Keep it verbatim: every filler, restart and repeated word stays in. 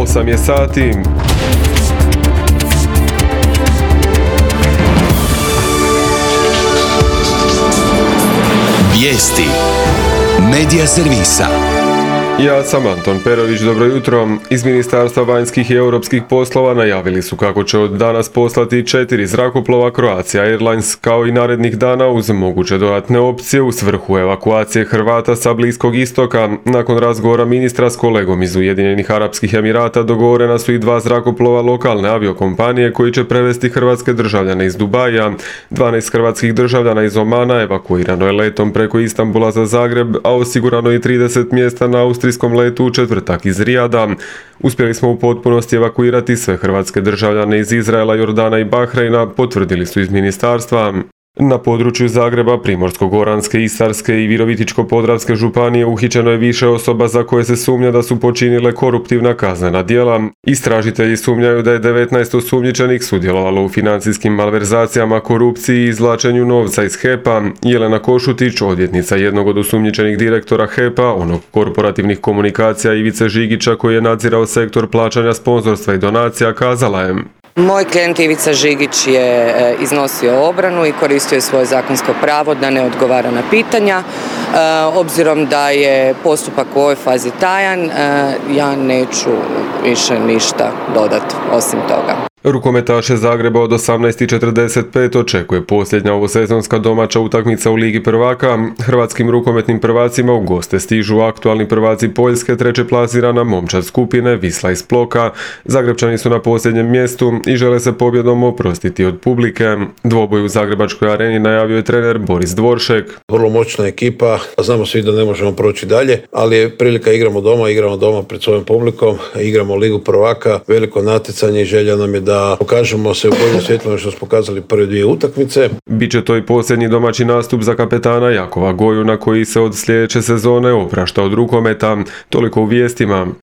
osam je sati. Vijesti Medija servisa. Ja sam Anton Perović, dobro jutro. Iz Ministarstva vanjskih i europskih poslova najavili su kako će od danas poslati četiri zrakoplova Croatia Airlines, kao i narednih dana uz moguće dodatne opcije u svrhu evakuacije Hrvata sa Bliskog istoka. Nakon razgovora ministra s kolegom iz Ujedinjenih Arapskih Emirata dogovorena su i dva zrakoplova lokalne aviokompanije koji će prevesti hrvatske državljane iz Dubaija. dvanaest hrvatskih državljana iz Omana evakuirano je letom preko Istanbula za Zagreb, a osigurano je trideset mjesta na austrijskom letu u četvrtak iz Rijada. Uspjeli smo u potpunosti evakuirati sve hrvatske državljane iz Izraela, Jordana i Bahreina, potvrdili su iz ministarstva. Na području Zagreba, Primorsko-goranske, Istarske i Virovitičko-podravske županije uhićeno je više osoba za koje se sumnja da su počinile koruptivna kaznena djela. Istražitelji sumnjaju da je devetnaest osumnjičenih sudjelovalo u financijskim malverzacijama, korupciji i izvlačenju novca iz H E P-a. Jelena Košutić, odvjetnica jednog od osumnjičenih direktora H E P-a, onog korporativnih komunikacija Ivice Žigića koji je nadzirao sektor plaćanja sponzorstva i donacija, kazala je: Moj klijent Ivica Žigić je iznosio obranu i koristio svoje zakonsko pravo da ne odgovara na pitanja. Obzirom da je postupak u ovoj fazi tajan, ja neću više ništa dodati osim toga. Rukometaše Zagreba od osamnaest i četrdeset pet očekuje posljednja ovosezonska domaća utakmica u Ligi prvaka. Hrvatskim rukometnim prvacima u goste stižu aktualni prvaci Poljske, treće plasirana momčad skupine Wisla iz Ploka. Zagrebčani su na posljednjem mjestu i žele se pobjedom oprostiti od publike. Dvoboj u Zagrebačkoj areni najavio je trener Boris Dvoršek. Vrlo moćna ekipa, znamo svi da ne možemo proći dalje, ali je prilika, igramo doma, igramo doma pred svojom publikom, igramo Ligu prvaka, veliko natjecanje i želja nam je da pokažemo se u boljem svjetlu što smo pokazali prve dvije utakmice. Biće to i posljednji domaći nastup za kapetana Jakova Gojuna koji se od sljedeće sezone oprašta od rukometa. Toliko u vijestima.